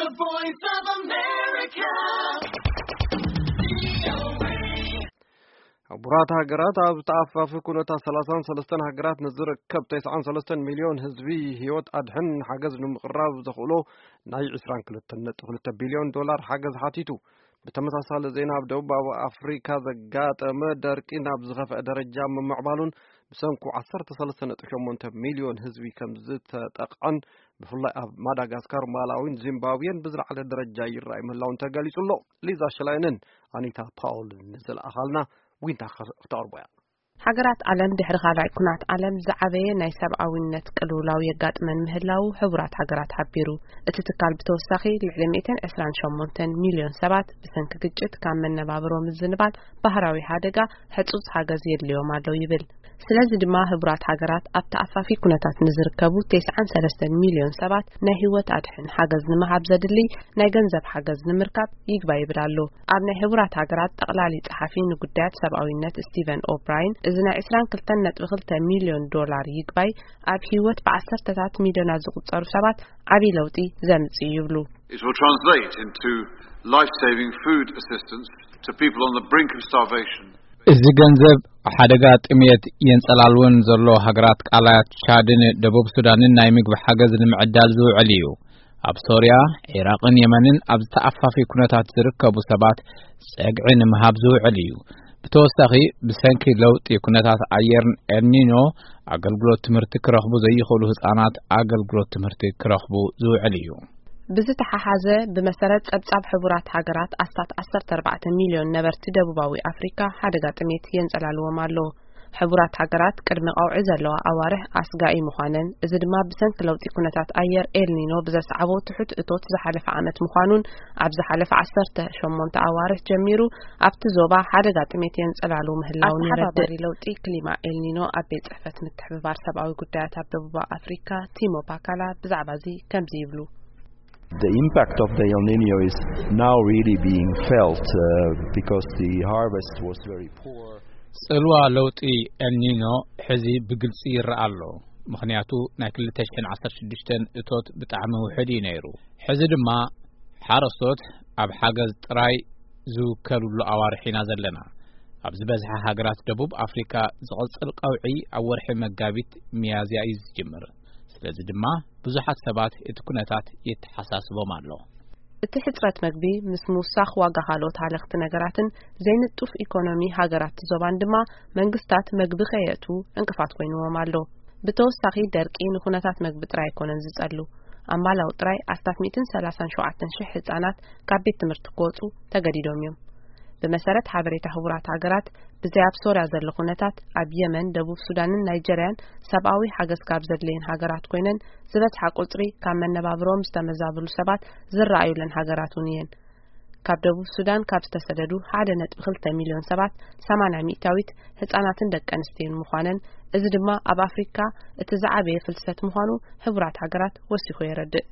The Voice of America. ሕቡራት ሃገራት ኣብ ተኣፋፊ ኩነታት ሰላሳን ሰለስተን ሃገራት ንዝርከብ ተስዓን ሰለስተን ሚልዮን ህዝቢ ህይወት ኣድሕን ሓገዝ ንምቕራብ ዘኽእሎ ናይ ዕስራን ክልተን ነጥቢ ክልተ ቢልዮን ዶላር ሓገዝ ሓቲቱ። ብተመሳሳሊ ዜና፣ ኣብ ደቡባዊ ኣፍሪካ ዘጋጠመ ደርቂ ናብ ዝኸፍአ ደረጃ ምምዕባሉን ብሰንኩ ዓሰርተ ሰለስተ ነጥቢ ሸሞንተ ሚልዮን ህዝቢ ከም ዝተጠቕዐን፣ ብፍላይ ኣብ ማዳጋስካር፣ ማላዊን ዚምባብዌን ብዝለዓለ ደረጃ ይረኣይ ምህላውን ተገሊጹ ኣሎ። ሊዛ ሽላይንን ኣኒታ ፓውልን ንዝለኣኻልና ዊንታ ክተቕርቦ እያ። ሃገራት ዓለም ድሕሪ ካልኣይ ኩናት ዓለም ዝዓበየ ናይ ሰብኣዊነት ቅልውላው የጋጥመን ምህላው ሕቡራት ሃገራት ሓቢሩ። እቲ ትካል ብተወሳኺ ልዕሊ ሚእትን ዕስራን ሸሞንተን ሚልዮን ሰባት ብሰንኪ ግጭት ካብ መነባብሮ ምዝንባል ባህራዊ ሓደጋ ሕጹጽ ሓገዝ የድልዮም ኣሎ ይብል። ስለዚ ድማ ሕቡራት ሃገራት ኣብ ተኣፋፊ ኩነታት ንዝርከቡ ተስዓን ሰለስተን ሚልዮን ሰባት ናይ ህይወት ኣድሕን ሓገዝ ንምሃብ ዘድሊ ናይ ገንዘብ ሓገዝ ንምርካብ ይግባይ ይብል ኣሎ። ኣብ ናይ ሕቡራት ሃገራት ጠቕላሊ ጸሓፊ ንጉዳያት ሰብኣዊነት ስቲቨን ኦብራይን፣ እዚ ናይ ዕስራን ክልተን ነጥቢ ክልተ ሚልዮን ዶላር ይግባይ ኣብ ህይወት ብዓሰርተታት ሚልዮናት ዝቑጸሩ ሰባት ዓቢ ለውጢ ዘምጽእ እዩ ይብሉ። It will translate into life-saving food assistance to people on the brink of starvation. እዚ ገንዘብ ሓደጋ ጥሜት የንጸላልወን ዘሎ ሃገራት ቃላያት ቻድን ደቡብ ሱዳንን ናይ ምግቢ ሓገዝ ንምዕዳል ዝውዕል እዩ። ኣብ ሶርያ፣ ዒራቕን የመንን ኣብ ዝተኣፋፊ ኩነታት ዝርከቡ ሰባት ጸግዒ ንምሃብ ዝውዕል እዩ። ብተወሳኺ፣ ብሰንኪ ለውጢ ኩነታት ኣየርን ኤልኒኖ፣ ኣገልግሎት ትምህርቲ ክረኽቡ ዘይኽእሉ ህጻናት ኣገልግሎት ትምህርቲ ክረኽቡ ዝውዕል እዩ። ብዝተሓሓዘ፣ ብመሰረት ጸብጻብ ሕቡራት ሃገራት፣ ኣስታት ዓሰርተ ኣርባዕተ ሚልዮን ነበርቲ ደቡባዊ ኣፍሪካ ሓደጋ ጥሜት የንጸላልዎም ኣሎ። ሕቡራት ሃገራት ቅድሚ ቀውዒ ዘለዋ ኣዋርሕ ኣስጋኢ ምዃነን፣ እዚ ድማ ብሰንኪ ለውጢ ኩነታት ኣየር ኤልኒኖ ብዘስዓቦ ትሑት እቶት ዝሓለፈ ዓመት ምዃኑን፣ ኣብ ዝሓለፈ ዓሰርተ ሸሞንተ ኣዋርሕ ጀሚሩ ኣብቲ ዞባ ሓደጋ ጥሜት የንጸላሉ ምህላውን የረድእ። ኣተሓባባሪ ለውጢ ክሊማ ኤልኒኖ ኣብ ቤት ጽሕፈት ምትሕብባር ሰብኣዊ ጉዳያት ኣብ ደቡብ ኣፍሪካ ቲሞ ፓካላ ብዛዕባ እዚ ከምዚ ይብሉ። The impact of the El Niño is now really being felt, uh, because the harvest was very poor. ጽልዋ ለውጢ ኤልኒኖ ሕዚ ብግልጺ ይረኣ ኣሎ። ምኽንያቱ፣ ናይ ክልተ ሽሕን ዓሰርተ ሽዱሽተን እቶት ብጣዕሚ ውሑድ እዩ ነይሩ። ሕዚ ድማ ሓረስቶት ኣብ ሓገዝ ጥራይ ዝውከሉሉ ኣዋርሕ ኢና ዘለና። ኣብ ዝበዝሐ ሃገራት ደቡብ ኣፍሪካ ዝቕጽል ቀውዒ ኣብ ወርሒ መጋቢት ሚያዝያ እዩ ዝጅምር። ስለዚ ድማ ብዙሓት ሰባት እቲ ኩነታት የተሓሳስቦም ኣሎ። እቲ ሕጽረት መግቢ ምስ ምውሳኽ ዋጋ ካልኦት ሃለኽቲ ነገራትን ዘይንጡፍ ኢኮኖሚ ሃገራት ዞባን ድማ መንግስታት መግቢ ከየእትዉ ዕንቅፋት ኮይንዎም ኣሎ። ብተወሳኺ ደርቂ ንኩነታት መግቢ ጥራይ ኣይኮነን ዝጸሉ። ኣብ ማላዊ ጥራይ ኣስታት ሚእትን ሰላሳን ሸውዓተን ሽሕ ህጻናት ካብ ቤት ትምህርቲ ክወጹ ተገዲዶም እዮም። ብመሰረት ሓበሬታ ሕቡራት ሃገራት፣ ብዘይ ኣብ ሶርያ ዘሎ ኩነታት፣ ኣብ የመን፣ ደቡብ ሱዳንን ናይጀርያን ሰብኣዊ ሓገዝ ካብ ዘድልየን ሃገራት ኮይነን፣ ዝበዝሓ ቁጽሪ ካብ መነባብሮኦም ዝተመዛብሉ ሰባት ዝረኣዩለን ሃገራት እውን እየን። ካብ ደቡብ ሱዳን ካብ ዝተሰደዱ ሓደ ነጥቢ ክልተ ሚልዮን ሰባት፣ ሰማንያ ሚእታዊት ህጻናትን ደቂ ኣንስትዮን ምዃነን፣ እዚ ድማ ኣብ ኣፍሪካ እቲ ዝዓበየ ፍልሰት ምዃኑ ሕቡራት ሃገራት ወሲኹ የረድእ።